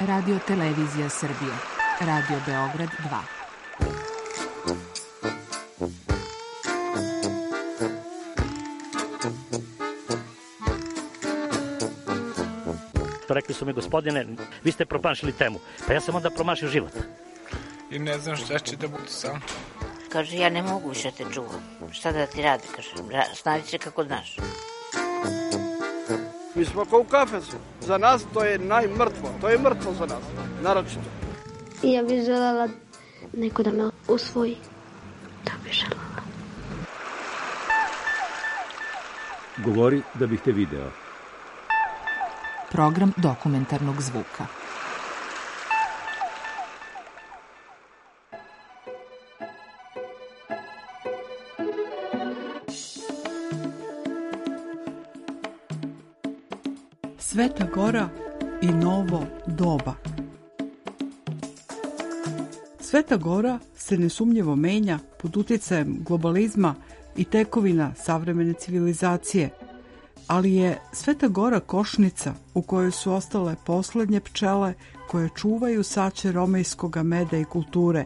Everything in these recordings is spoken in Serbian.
Radio Televizija Srbije, Radio Beograd 2. Rekli su mi, gospodine, vi ste promašili temu. Pa ja sam onda promašio život. I ne znam šta će da budu sam. Kaže, ja ne mogu više te čuvam. Šta da ti radi, kaže, snađi se kako znaš. Mi smo kao u kafesu. Za nas to je najmrtvo. To je mrtvo za nas, naročito. Ja bih želela neko da me usvoji. To bih želela. Govori da bih te video. Program dokumentarnog zvuka. Sveta Gora i novo doba. Sveta Gora se nesumnjivo menja pod utjecajem globalizma i tekovina savremene civilizacije, ali je Sveta Gora košnica u kojoj su ostale poslednje pčele koje čuvaju sače romejskoga meda i kulture,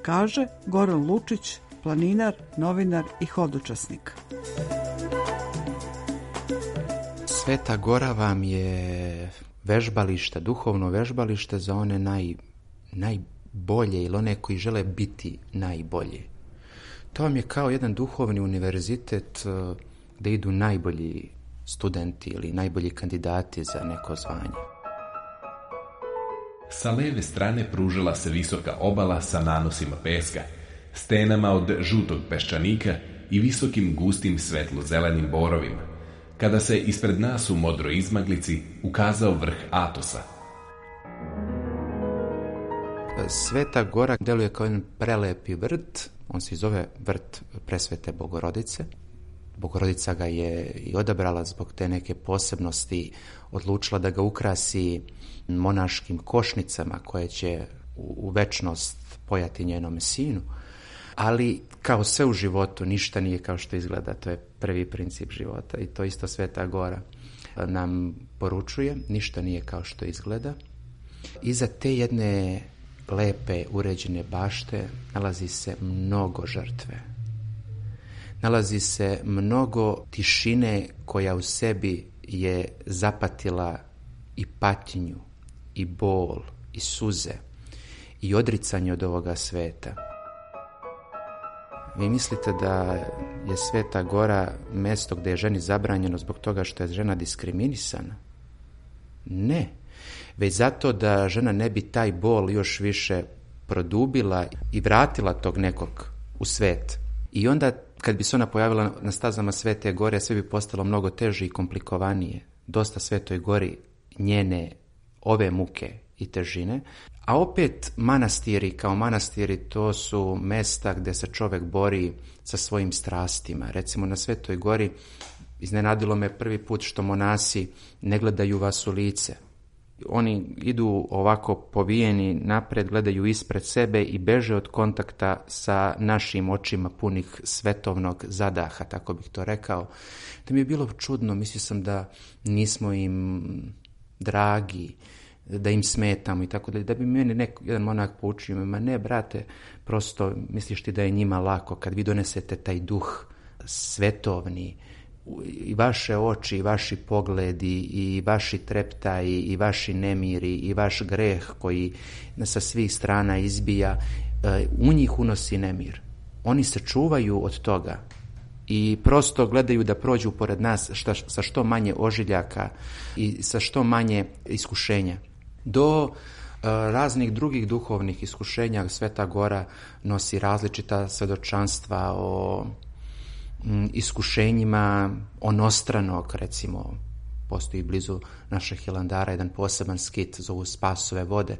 kaže Goran Lučić, planinar, novinar i hodočasnik. Sveta Gora vam je vežbalište, duhovno vežbalište za one najbolje ili one koji žele biti najbolji. To vam je kao jedan duhovni univerzitet gde idu najbolji studenti ili najbolji kandidati za neko zvanje. Sa leve strane pružila se visoka obala sa nanosima peska, stenama od žutog peščanika i visokim gustim svetlo-zelenim borovima, kada se ispred nas u modroj izmaglici ukazao vrh Atosa. Sveta Gora deluje kao jedan prelepi vrt, on se zove vrt Presvete Bogorodice. Bogorodica ga je i odabrala zbog te neke posebnosti, odlučila da ga ukrasi monaškim košnicama koje će u večnost pojati njenom sinu. Ali kao sve u životu, ništa nije kao što izgleda, to je prvi princip života i to isto Sveta Gora nam poručuje, ništa nije kao što izgleda. Iza te jedne lepe, uređene bašte nalazi se mnogo žrtve. Nalazi se mnogo tišine koja u sebi je zapatila i patnju, i bol, i suze, i odricanje od ovoga sveta. Vi mislite da je Sveta Gora mesto gde je ženi zabranjeno zbog toga što je žena diskriminisana? Ne, već zato da žena ne bi taj bol još više produbila i vratila tog nekog u svet. I onda kad bi se ona pojavila na stazama Svete Gore, sve bi postalo mnogo teže i komplikovanije. Dosta Svetoj Gori njene ove muke i težine. A opet manastiri kao manastiri, to su mesta gde se čovek bori sa svojim strastima. Recimo na Svetoj Gori iznenadilo me prvi put što monasi ne gledaju vas u lice. Oni idu ovako povijeni napred, gledaju ispred sebe i beže od kontakta sa našim očima punih svetovnog zadaha, tako bih to rekao. To mi je bilo čudno, mislio sam da nismo im dragi, da im smetamo i tako da bi meni jedan monak poučio, ma ne brate, prosto misliš ti da je njima lako kad vi donesete taj duh svetovni, i vaše oči, i vaši pogledi, i vaši treptaji, i vaši nemiri, i vaš greh koji sa svih strana izbija, u njih unosi nemir. Oni se čuvaju od toga i prosto gledaju da prođu pored nas sa što manje ožiljaka i sa što manje iskušenja. Do raznih drugih duhovnih iskušenja Sveta Gora nosi različita svedočanstva o iskušenjima onostranog, recimo postoji blizu našeg Hilandara jedan poseban skit, zovu Spasove vode,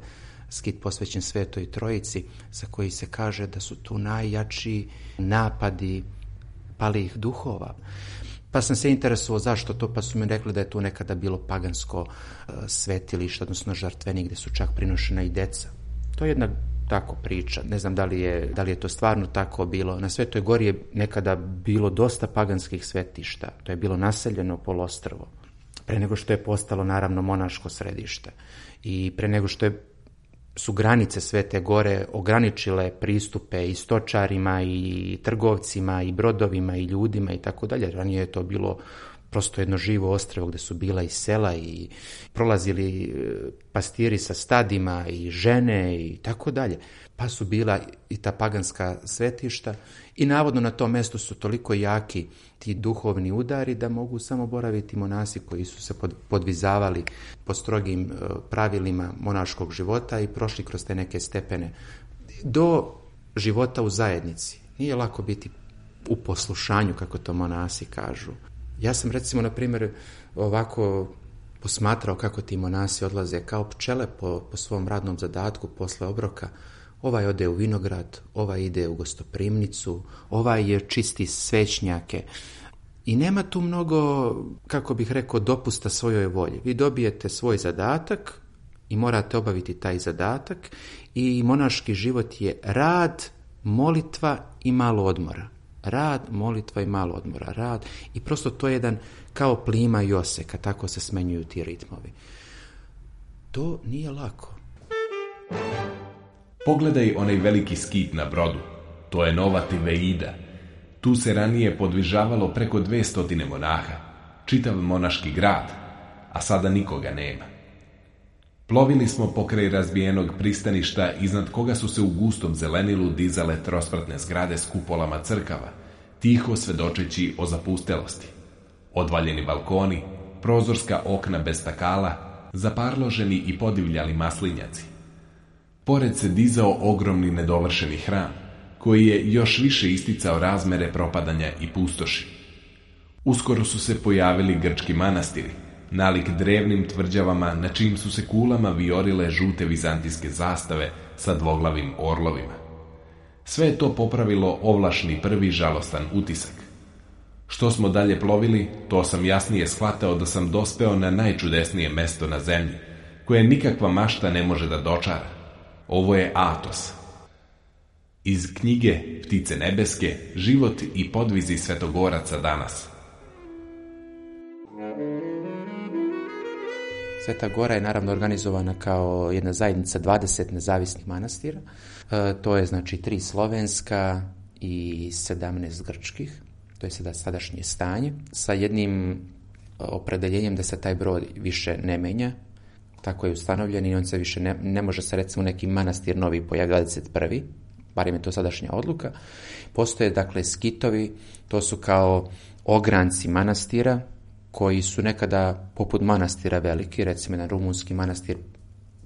skit posvećen Svetoj Trojici, za koji se kaže da su tu najjači napadi palih duhova. Pa sam se interesovao zašto to, pa su mi rekli da je tu nekada bilo pagansko svetilište, odnosno žrtvenik, gde su čak prinošena i deca. To je jedna tako priča. Ne znam da li je to stvarno tako bilo. Na Svetoj Gori je nekada bilo dosta paganskih svetišta. To je bilo naseljeno poluostrvo. pre nego što je postalo naravno monaško središte i pre nego što su granice Svete Gore ograničile pristupe i stočarima i trgovcima i brodovima i ljudima i tako dalje. Ranije je to bilo prosto jedno živo ostrvo gdje su bila i sela i prolazili pastiri sa stadima i žene i tako dalje. Pa su bila i ta paganska svetišta i navodno na tom mjestu su toliko jaki ti duhovni udari da mogu samo boraviti monasi koji su se podvizavali po strogim pravilima monaškog života i prošli kroz te neke stepene do života u zajednici. Nije lako biti u poslušanju, kako to monasi kažu. Ja sam recimo, na primjer, ovako posmatrao kako ti monasi odlaze kao pčele po svom radnom zadatku posle obroka. Ovaj ode u vinograd, ovaj ide u gostoprimnicu, ovaj je čisti svećnjake. I nema tu mnogo, kako bih rekao, dopusta svojoj volji. Vi dobijete svoj zadatak i morate obaviti taj zadatak i monaški život je rad, molitva i malo odmora. Rad, molitva i malo odmora. Rad i prosto to je jedan kao plima i oseka, tako se smenjuju ti ritmovi. To nije lako. Pogledaj onaj veliki skit na brodu. To je Nova Tiveida. Tu se ranije podvižavalo preko 200 monaha. Čitav monaški grad, a sada nikoga nema. Plovili smo pokraj razbijenog pristaništa, iznad koga su se u gustom zelenilu dizale trospratne zgrade s kupolama crkava, tiho svedočeći o zapustelosti. Odvaljeni balkoni, prozorska okna bez stakala, zaparloženi i podivljali maslinjaci. Pored se dizao ogromni nedovršeni hram, koji je još više isticao razmere propadanja i pustoši. Uskoro su se pojavili grčki manastiri, nalik drevnim tvrđavama na čijim su se kulama viorile žute vizantijske zastave sa dvoglavim orlovima. Sve je to popravilo ovlašni prvi žalostan utisak. Što smo dalje plovili, to sam jasnije shvatao da sam dospeo na najčudesnije mesto na zemlji, koje nikakva mašta ne može da dočara. Ovo je Atos. Iz knjige Ptice nebeske, život i podvizi svetogoraca danas. Sveta Gora je naravno organizovana kao jedna zajednica 20 nezavisnih manastira. To je znači 3 slovenska i 17 grčkih. To je sada sadašnje stanje. Sa jednim opredeljenjem da se taj broj više ne menja. Tako je ustanovljen i on se više ne može se recimo neki manastir novi pojaviti 21. Barem je to sadašnja odluka. Postoje dakle skitovi, to su kao ogranci manastira koji su nekada poput manastira veliki, recimo jedan rumunski manastir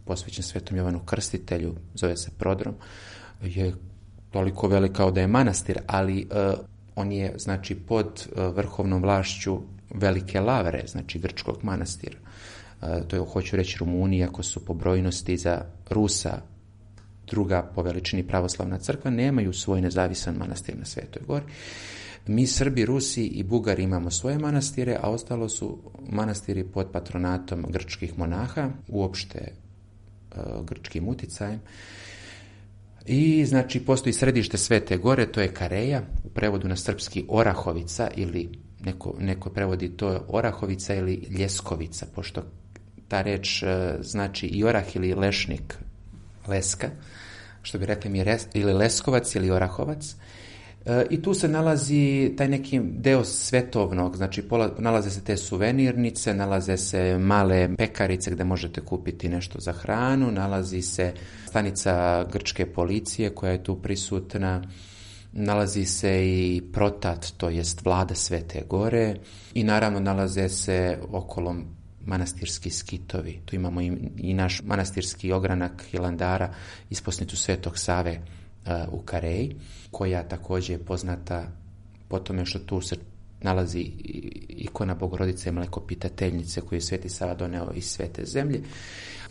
posvećen Svetom Jovanu Krstitelju, zove se Prodrom, je toliko velik kao da je manastir, ali on je znači pod vrhovnom vlašću Velike Lavre, znači grčkog manastira. To je, hoću reći, Rumunija, ako su po brojnosti za Rusa druga po veličini pravoslavna crkva, nemaju svoj nezavisan manastir na Svetoj Gori. Mi Srbi, Rusi i Bugari imamo svoje manastire, a ostalo su manastiri pod patronatom grčkih monaha, uopšte grčkim uticajem. I znači postoji središte Svete Gore, to je Kareja, u prevodu na srpski Orahovica, ili neko prevodi to Orahovica ili Ljeskovica, pošto ta reč znači i orah ili lešnik, leska, što bi rekli mi ili Leskovac ili Orahovac. I tu se nalazi taj neki deo svetovnog, znači nalaze se te suvenirnice, nalaze se male pekarice gdje možete kupiti nešto za hranu, nalazi se stanica grčke policije koja je tu prisutna, nalazi se i protat, to jest vlada Svete Gore, i naravno nalaze se okolo manastirski skitovi. Tu imamo i naš manastirski ogranak Hilandara, isposnicu Svetog Save u Kareji, koja također je poznata po tome što tu se nalazi ikona Bogorodice Mlekopitateljnice koju je Sveti Sava doneo iz Svete zemlje.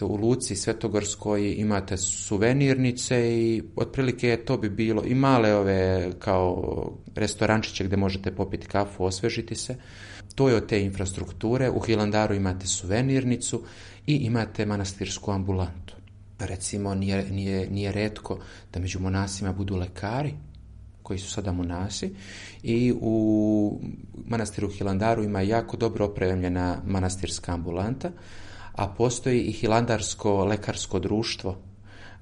U luci Svetogorskoj imate suvenirnice i otprilike to bi bilo i male ove kao restorančiće gdje možete popiti kafu, osvežiti se. To je od te infrastrukture. U Hilandaru imate suvenirnicu i imate manastirsku ambulantu. Recimo, nije retko da među monasima budu lekari koji su sada monasi, i u manastiru Hilandaru ima jako dobro opremljena manastirska ambulanta, a postoji i Hilandarsko lekarsko društvo.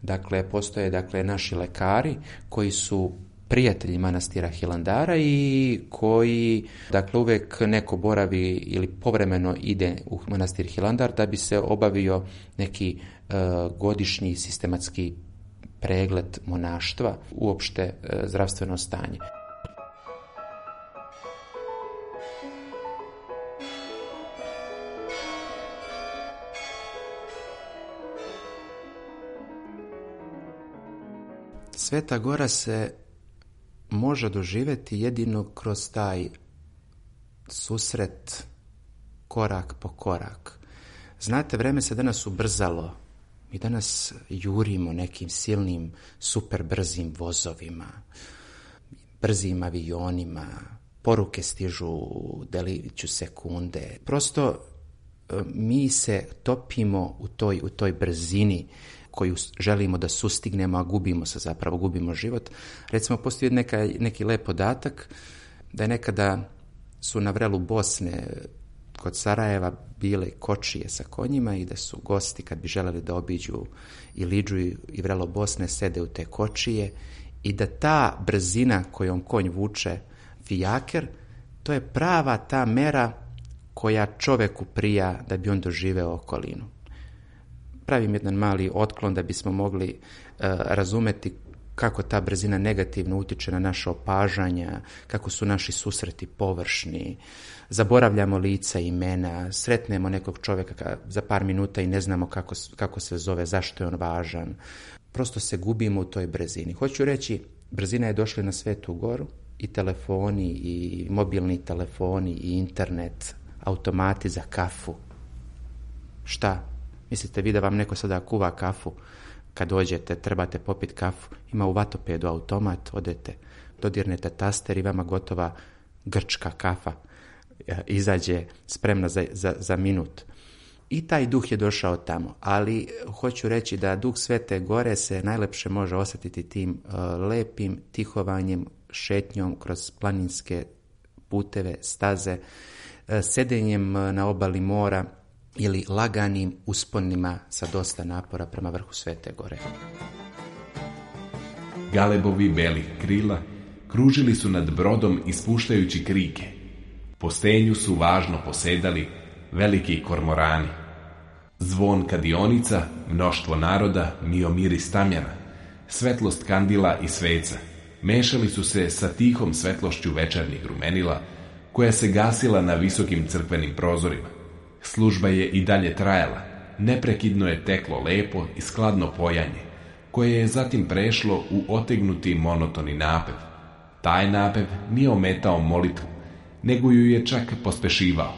Dakle, postoje naši lekari koji su prijatelji manastira Hilandara i koji, uvijek neko boravi ili povremeno ide u manastir Hilandar da bi se obavio neki godišnji sistematski pregled monaštva, uopšte zdravstveno stanje. Sveta Gora se može doživjeti jedino kroz taj susret korak po korak. Znate, vreme se danas ubrzalo. Mi danas jurimo nekim silnim, super brzim vozovima, brzim avionima, poruke stižu deliću sekunde. Prosto mi se topimo u toj brzini koju želimo da sustignemo, a gubimo život. Recimo, postoji neki lep podatak da je nekada su na vrelu Bosne kod Sarajeva bile kočije sa konjima i da su gosti, kad bi želeli da obiđu i Lidžu i vrelo Bosne, sede u te kočije i da ta brzina kojom konj vuče fijaker, to je prava ta mera koja čoveku prija da bi on doživeo okolinu. Pravim jedan mali otklon da bismo mogli razumeti kako ta brzina negativno utiče na naše opažanja, kako su naši susreti površni, zaboravljamo lica i imena, sretnemo nekog čovjeka za par minuta i ne znamo kako se zove, zašto je on važan. Prosto se gubimo u toj brzini. Hoću reći, brzina je došla na Svetu Goru, i telefoni, i mobilni telefoni, i internet, automati za kafu. Šta? Mislite vi da vam neko sada kuva kafu? Kad dođete, trebate popiti kafu, ima u Vatopedu automat, odete, dodirnete taster i vama gotova grčka kafa izađe spremna za minut. I taj duh je došao tamo, ali hoću reći da duh Svete Gore se najlepše može osjetiti tim lepim tihovanjem, šetnjom kroz planinske puteve, staze, sedenjem na obali mora ili laganim usponima sa dosta napora prema vrhu Svete Gore. Galebovi belih krila kružili su nad brodom ispuštajući krike. Po stenju su važno posedali veliki kormorani. Zvon kadionica, mnoštvo naroda, mio miris tamjana, svetlost kandila i sveca mešali su se sa tihom svetlošću večernjih rumenila koja se gasila na visokim crkvenim prozorima. Služba je i dalje trajala, neprekidno je teklo lepo i skladno pojanje, koje je zatim prešlo u otegnuti monotoni napev. Taj napev nije ometao molitvu, nego ju je čak pospešivao.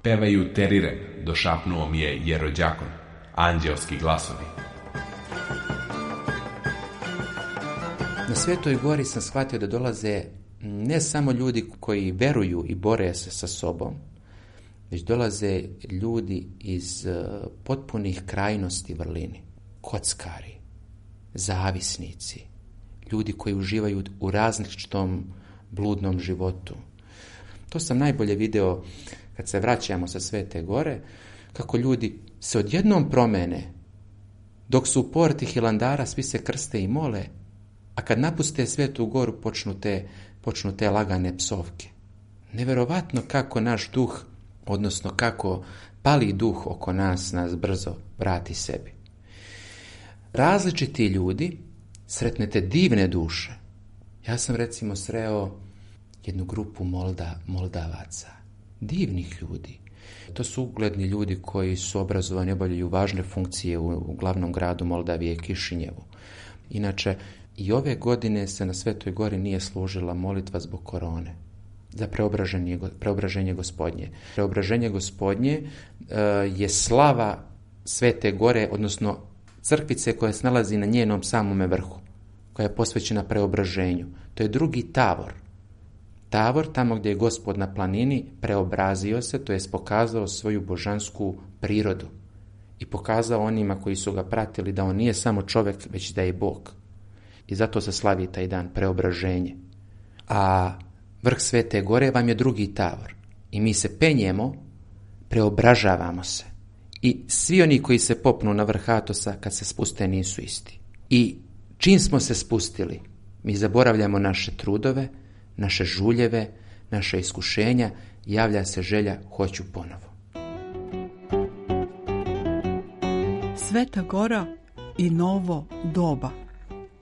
Pevaju teriren, došapnuo mi je jerođakon, anđelski glasovi. Na Svetoj Gori sam shvatio da dolaze ne samo ljudi koji veruju i bore se sa sobom, već dolaze ljudi iz potpunih krajnosti vrlini. Kockari, zavisnici, ljudi koji uživaju u različitom bludnom životu. To sam najbolje video kad se vraćamo sa Svete Gore, kako ljudi se odjednom promene, dok su u porti Hilandara svi se krste i mole, a kad napuste Svetu Goru počnu te lagane psovke. Neverovatno kako naš duh, odnosno kako pali duh oko nas brzo vrati sebi. Različiti ljudi, sretnete divne duše. Ja sam recimo sreo jednu grupu Moldavaca, divnih ljudi. To su ugledni ljudi koji su obrazovani, obavljaju važne funkcije u glavnom gradu Moldavije, Kišinjevu. Inače, i ove godine se na Svetoj Gori nije služila molitva zbog korone, za preobraženje Gospodnje. Preobraženje Gospodnje je slava Svete Gore, odnosno crkvice koja se nalazi na njenom samome vrhu, koja je posvećena preobraženju. To je drugi Tavor. Tavor, tamo gdje je Gospod na planini, preobrazio se, to jest pokazao svoju božansku prirodu i pokazao onima koji su ga pratili da on nije samo čovjek, već da je Bog. I zato se slavi taj dan, preobraženje. A vrh Svete Gore vam je drugi Tavor. I mi se penjemo, preobražavamo se. I svi oni koji se popnu na vrh Atosa, kad se spuste, nisu isti. I čim smo se spustili, mi zaboravljamo naše trudove, naše žuljeve, naše iskušenja, javlja se želja, hoću ponovo. Sveta Gora i novo doba,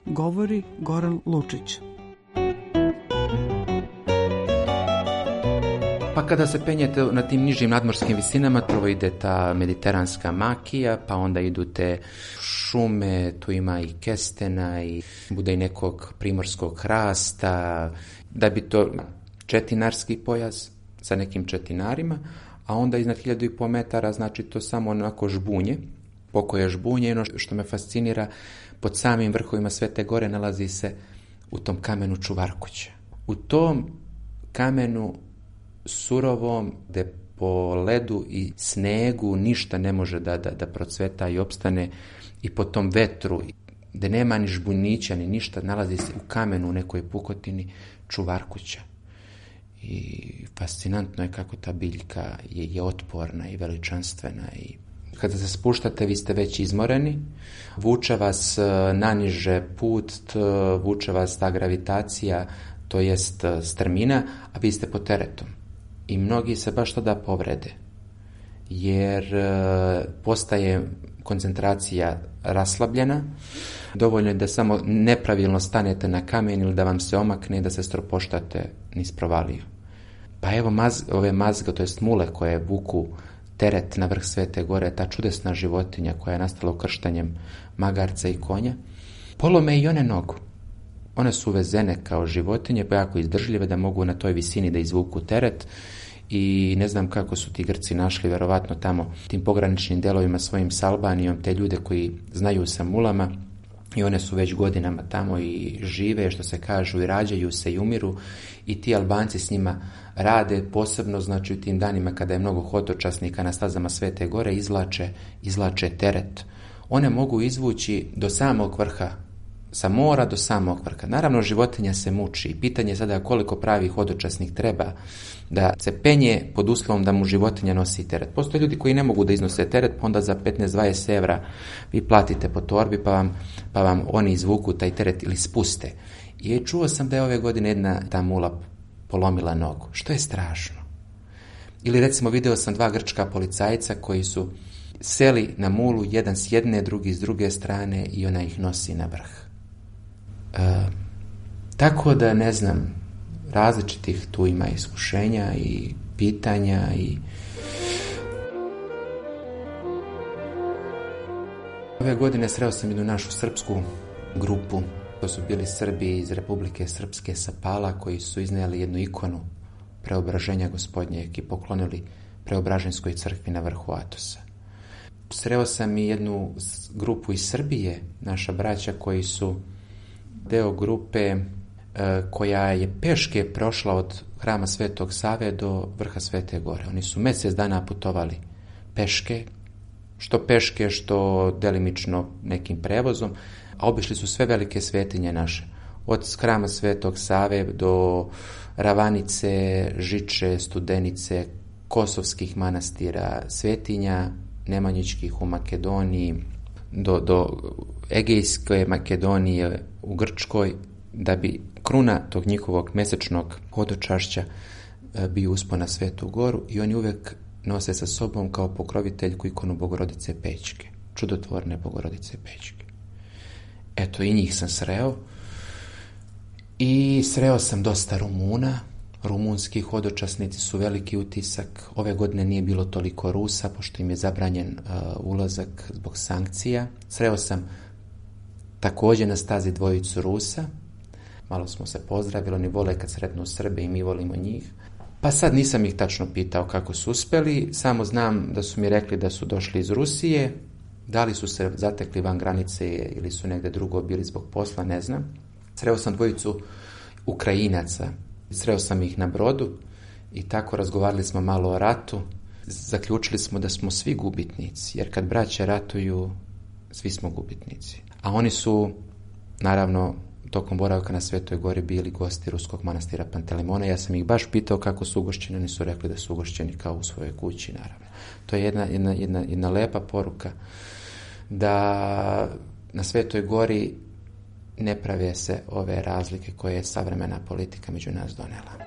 govori Goran Lučić. Pa kada se penjete na tim nižim nadmorskim visinama, prvo ide ta mediteranska makija, pa onda idu te šume, tu ima i kestena i bude i nekog primorskog hrasta, da bi to četinarski pojas sa nekim četinarima, a onda iznad 1500 metara, znači to samo onako žbunje, pokoje žbunje. Ono što me fascinira, pod samim vrhovima Svete Gore nalazi se u tom kamenu čuvarkuća. U tom kamenu surovom, gde po ledu i snegu ništa ne može da procveta i opstane, i po tom vetru, gde nema ni žbunića ni ništa, nalazi se u kamenu, u nekoj pukotini, čuvarkuća. I fascinantno je kako ta biljka je otporna i veličanstvena. I kada se spuštate, vi ste već izmoreni, vuče vas naniže put, vuče vas ta gravitacija, to jest strmina, a vi ste pod teretom. I mnogi se baš tada povrede, jer postaje koncentracija raslabljena. Dovoljno je da samo nepravilno stanete na kamen ili da vam se omakne i da se stropoštate niz provaliju. Pa evo ove mazge, to jest mule koje vuku teret na vrh Svete Gore, ta čudesna životinja koja je nastala ukrštanjem magarca i konja, polome i one nogu. One su uvezene kao životinje, pa jako izdržljive da mogu na toj visini da izvuku teret. I ne znam kako su ti Grci našli, verovatno tamo tim pograničnim delovima svojim s Albanijom, te ljude koji znaju sa mulama, i one su već godinama tamo i žive, što se kažu, i rađaju se i umiru, i ti Albanci s njima rade, posebno znači u tim danima kada je mnogo hodočasnika na stazama Svete Gore, izvlače teret. One mogu izvući do samog vrha, sa mora do samog vrha. Naravno, životinja se muči. Pitanje je sada koliko pravi hodočasnik treba da se penje pod uslovom da mu životinja nosi teret. Postoje ljudi koji ne mogu da iznose teret, pa onda za 15-20 evra vi platite po torbi, pa vam oni izvuku taj teret ili spuste. I čuo sam da je ove godine jedna ta mula polomila nogu, što je strašno. Ili recimo video sam 2 grčka policajca koji su seli na mulu, jedan s jedne, drugi s druge strane, i ona ih nosi na vrh. Tako da ne znam, različitih tu ima iskušenja i pitanja i ove godine sreo sam jednu našu srpsku grupu. To su bili Srbi iz Republike Srpske sa Pala koji su iznijeli jednu ikonu preobraženja Gospodnjeg i poklonili Preobraženskoj crkvi na vrhu Atosa. Sreo sam i jednu grupu iz Srbije, naša braća koji su deo grupe koja je peške prošla od hrama Svetog Save do vrha Svete Gore. Oni su mjesec dana putovali peške, što delimično nekim prevozom, a obišli su sve velike svetinje naše. Od hrama Svetog Save do Ravanice, Žiče, Studenice, kosovskih manastira, svetinja nemanjičkih u Makedoniji, do Egejske Makedonije u Grčkoj, da bi kruna tog njihovog mesečnog hodočašća bio uspon na Svetu Goru, i oni uvek nose sa sobom kao pokroviteljku ikonu Bogorodice Pećke, čudotvorne Bogorodice Pećke. Eto, i njih sam sreo. I sreo sam dosta Rumuna. Rumunski hodočasnici su veliki utisak. Ove godine nije bilo toliko Rusa, pošto im je zabranjen ulazak zbog sankcija. Sreo sam također na stazi 2 Rusa. Malo smo se pozdravili, oni vole kad sretnu Srbe i mi volimo njih. Pa sad nisam ih tačno pitao kako su uspeli, samo znam da su mi rekli da su došli iz Rusije. Da li su se zatekli van granice ili su negde drugo bili zbog posla, ne znam. Sreo sam 2 Ukrajinaca. Sreo sam ih na brodu i tako razgovarali smo malo o ratu. Zaključili smo da smo svi gubitnici, jer kad braća ratuju, svi smo gubitnici. A oni su, naravno, tokom boravka na Svetoj Gori bili gosti Ruskog manastira Pantelimona. Ja sam ih baš pitao kako su ugošćeni, oni su rekli da su ugošćeni kao u svojoj kući, naravno. To je jedna lepa poruka da na Svetoj Gori ne prave se ove razlike koje je savremena politika među nas donela.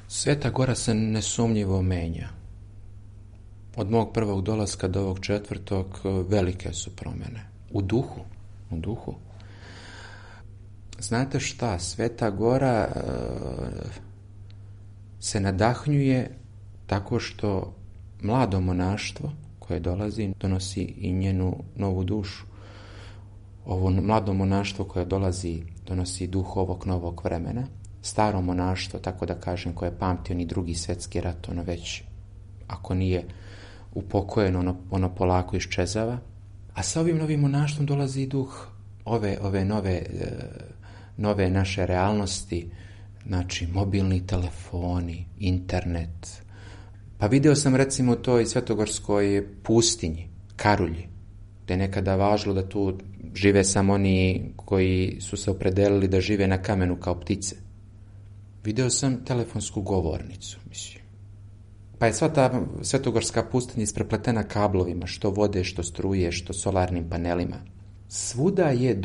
Sveta Gora se nesumnjivo menja. Od mog prvog dolaska do ovog 4. velike su promjene. U duhu. Znate šta, Sveta Gora se nadahnjuje tako što mlado monaštvo koje dolazi donosi i njenu novu dušu. Ovo mlado monaštvo koje dolazi donosi duh ovog novog vremena. Staro monaštvo, tako da kažem, koje pamti oni Drugi svjetski rat, ono već, ako nije upokojeno, ono polako iščezava. A sa ovim novim monaštvom dolazi i duh ove nove naše realnosti, znači mobilni telefoni, internet. Pa video sam recimo u toj svetogorskoj pustinji, Karulji, gdje je nekada važilo da tu žive samo oni koji su se opredelili da žive na kamenu kao ptice. Video sam telefonsku govornicu, mislim. Pa je sva ta svetogorska pustinja isprepletena kablovima, što vode, što struje, što solarnim panelima. Svuda je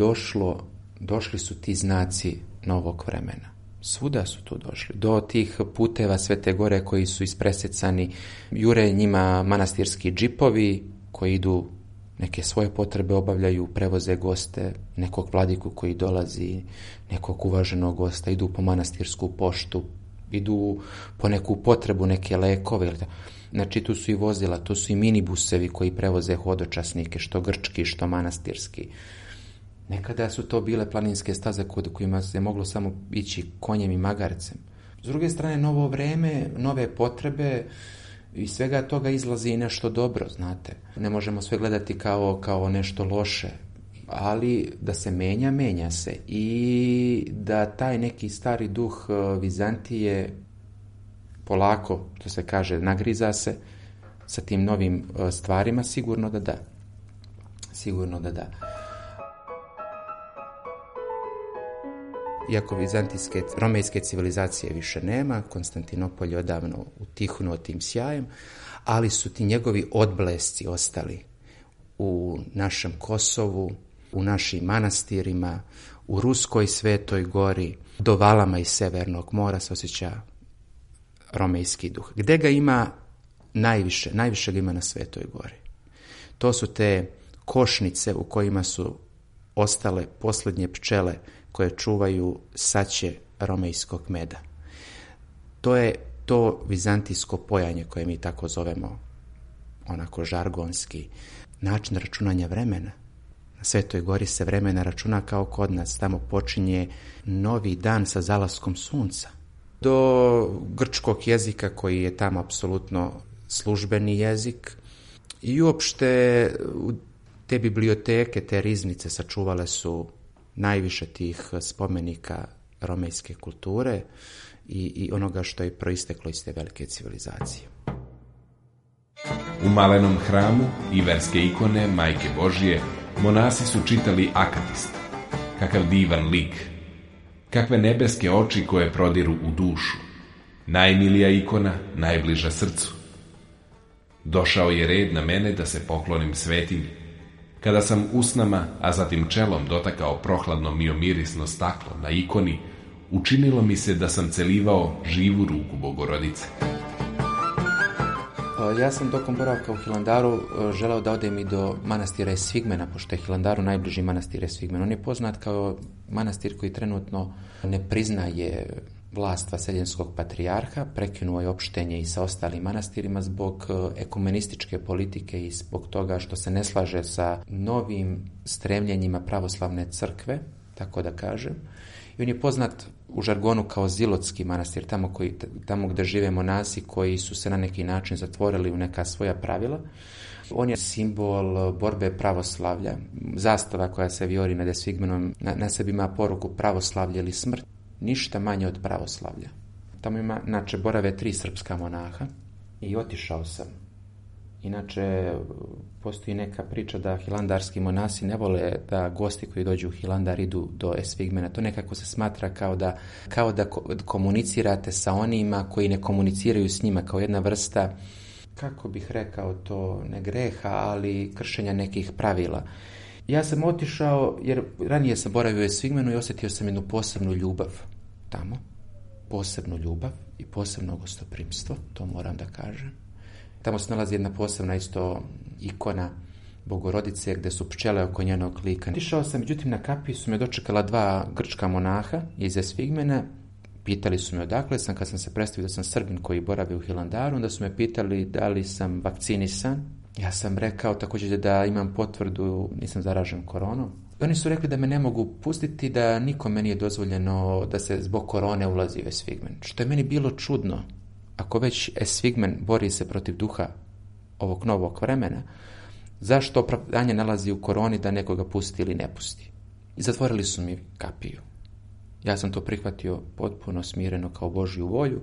došli su ti znaci novog vremena. Svuda su tu došli. Do tih puteva Svete Gore koji su ispresecani, jure njima manastirski džipovi koji idu, neke svoje potrebe obavljaju, prevoze goste, nekog vladiku koji dolazi, nekog uvaženog gosta, idu po manastirsku poštu, idu po neku potrebu, neke lekove. Znači tu su i vozila, tu su i minibusevi koji prevoze hodočasnike, što grčki, što manastirski. Nekada su to bile planinske staze kojima se moglo samo ići konjem i magarcem. S druge strane, novo vreme, nove potrebe, i svega toga izlazi i nešto dobro, znate. Ne možemo sve gledati kao nešto loše, ali da se menja se. I da taj neki stari duh Vizantije polako, to se kaže, nagriza se sa tim novim stvarima, sigurno da da. Iako vizantijske, romejske civilizacije više nema, Konstantinopolj je odavno utihnuo tim sjajem, ali su ti njegovi odblesci ostali u našem Kosovu, u našim manastirima, u Ruskoj Svetoj Gori, do valama iz Severnog mora se osjeća romejski duh. Gde ga ima najviše? Najviše ga ima na Svetoj Gori. To su te košnice u kojima su ostale posljednje pčele koje čuvaju saće romejskog meda. To je to vizantijsko pojanje koje mi tako zovemo, onako žargonski, način računanja vremena. Na Svetoj Gori se vremena računa kao kod nas, tamo počinje novi dan sa zalaskom sunca. Do grčkog jezika koji je tamo apsolutno službeni jezik i uopšte te biblioteke, te riznice sačuvale su najviše tih spomenika romejske kulture i onoga što je proisteklo iz te velike civilizacije. U malenom hramu i verske ikone Majke Božije monasi su čitali Akatist. Kakav divan lik, kakve nebeske oči koje prodiru u dušu. Najmilija ikona, najbliža srcu. Došao je red na mene da se poklonim svetinji. Kada sam usnama, a zatim čelom dotakao prohladno miomirisno staklo na ikoni, učinilo mi se da sam celivao živu ruku Bogorodice. Ja sam tokom boravka u Hilandaru želeo da odem i do manastira Esfigmena, pošto je Hilandaru najbliži manastir Esfigmen. On je poznat kao manastir koji trenutno ne priznaje vlast vaseljenskog patrijarha, prekinuo je opštenje i sa ostalim manastirima zbog ekumenističke politike i zbog toga što se ne slaže sa novim stremljenjima pravoslavne crkve, tako da kažem. I on je poznat u žargonu kao Zilotski manastir, tamo gdje žive monasi koji su se na neki način zatvorili u neka svoja pravila. On je simbol borbe pravoslavlja, zastava koja se vijori nad Esfigmenom, na sebi ima poruku pravoslavlje ili smrt. Ništa manje od pravoslavlja. Tamo ima, inače, borave 3 srpska monaha i otišao sam. Inače, postoji neka priča da hilandarski monasi ne vole da gosti koji dođu u Hilandar idu do Esfigmena. To nekako se smatra kao da komunicirate sa onima koji ne komuniciraju s njima, kao jedna vrsta, kako bih rekao to, ne greha, ali kršenja nekih pravila. Ja sam otišao, jer ranije sam boravio u Esfigmenu i osjetio sam jednu posebnu ljubav tamo. Posebnu ljubav i posebno gostoprimstvo, to moram da kažem. Tamo se nalazi jedna posebna isto ikona Bogorodice gdje su pčele oko njenog lika. Išao sam, međutim na kapiju su me dočekala 2 grčka monaha iz Esfigmena. Pitali su me odakle sam, kad sam se predstavio da sam Srbin koji boravi u Hilandaru, onda su me pitali da li sam vakcinisan. Ja sam rekao također da imam potvrdu, nisam zaražen koronom. Oni su rekli da me ne mogu pustiti, da nikome nije dozvoljeno da se zbog korone ulazi u Esfigmen. Što je meni bilo čudno. Ako već Esfigmen bori se protiv duha ovog novog vremena, zašto opravdanje nalazi u koroni da nekoga pusti ili ne pusti? I zatvorili su mi kapiju. Ja sam to prihvatio potpuno smireno kao Božju volju.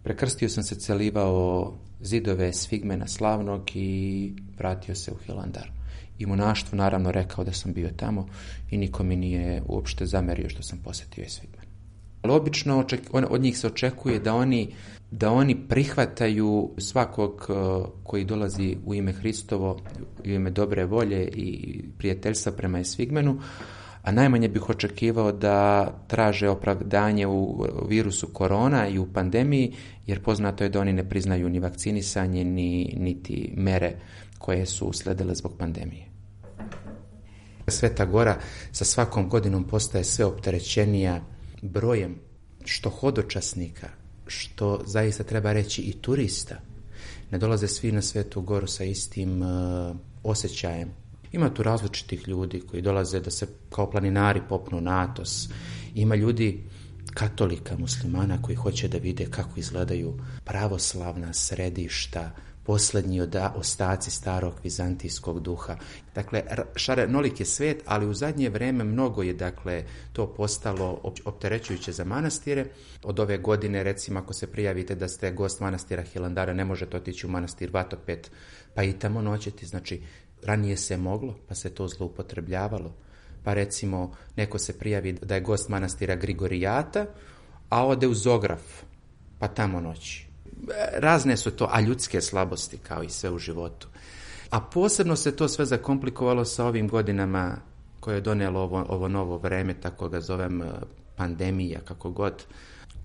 Prekrstio sam se, celivao zidove Esfigmena slavnog i vratio se u Hilandar. I monaštvu naravno rekao da sam bio tamo i niko mi nije uopšte zamerio što sam posjetio Esfigmen. Ali obično od njih se očekuje da oni prihvataju svakog koji dolazi u ime Hristovo, u ime dobre volje i prijateljstva prema Esfigmenu, a najmanje bih očekivao da traže opravdanje u virusu korona i u pandemiji, jer poznato je da oni ne priznaju ni vakcinisanje, niti mere koje su usledile zbog pandemije. Sveta Gora sa svakom godinom postaje sve opterećenija brojem što hodočasnika, što zaista treba reći i turista. Ne dolaze svi na Svetu Goru sa istim osjećajem. Ima tu različitih ljudi koji dolaze da se kao planinari popnu na Atos. Ima ljudi, katolika, muslimana, koji hoće da vide kako izgledaju pravoslavna središta, posljednji ostaci starog vizantijskog duha. Dakle, šarenolik je svet, ali u zadnje vrijeme mnogo je to postalo opterećujuće za manastire. Od ove godine, recimo, ako se prijavite da ste gost manastira Hilandara, ne možete otići u manastir Vatopet pa i tamo noćeti. Znači, ranije se moglo, pa se to zloupotrebljavalo. Pa recimo, neko se prijavi da je gost manastira Grigorijata, a ode u Zograf, pa tamo noći. Razne su to, a ljudske slabosti, kao i sve u životu. A posebno se to sve zakomplikovalo sa ovim godinama koje je donijelo ovo novo vreme, tako ga zovem pandemija, kako god,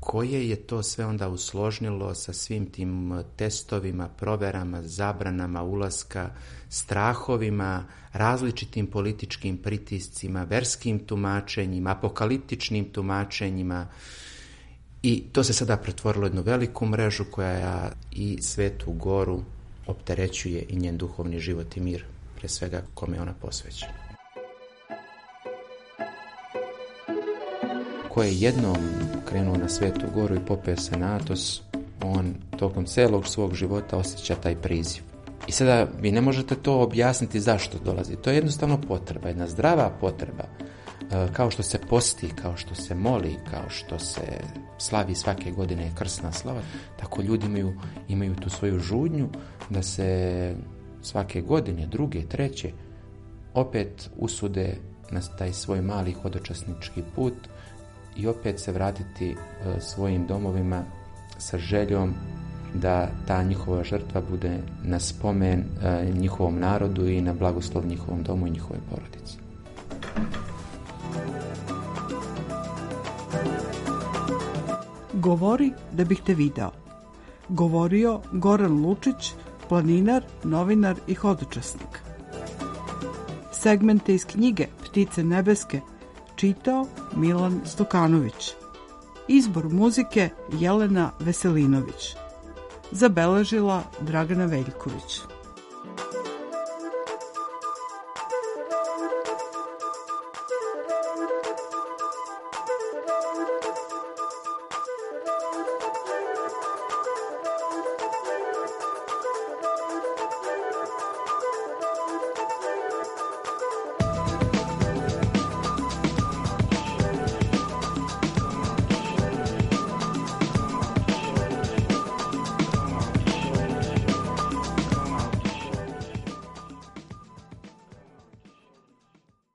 koje je to sve onda usložnilo sa svim tim testovima, proverama, zabranama ulaska, strahovima, različitim političkim pritiscima, verskim tumačenjima, apokaliptičnim tumačenjima. I to se sada pretvorilo u jednu veliku mrežu koja i Svetu Goru opterećuje i njen duhovni život i mir, pre svega kome je ona posvećena. Ko je jednom krenuo na Svetu Goru i popeo se na Atos, on tokom celog svog života osjeća taj priziv. I sada vi ne možete to objasniti zašto dolazi. To je jednostavno potreba, jedna zdrava potreba. Kao što se posti, kao što se moli, kao što se slavi svake godine krsna slava, tako ljudi imaju tu svoju žudnju da se svake godine, druge, treće, opet usude na taj svoj mali hodočasnički put i opet se vratiti svojim domovima sa željom da ta njihova žrtva bude na spomen njihovom narodu i na blagoslov njihovom domu i njihove porodici. Govori da bih te video. Govorio Goran Lučić, planinar, novinar i hodočasnik. Segmente iz knjige Ptice nebeske čitao Milan Stokanović. Izbor muzike Jelena Veselinović. Zabeležila Dragana Veljković.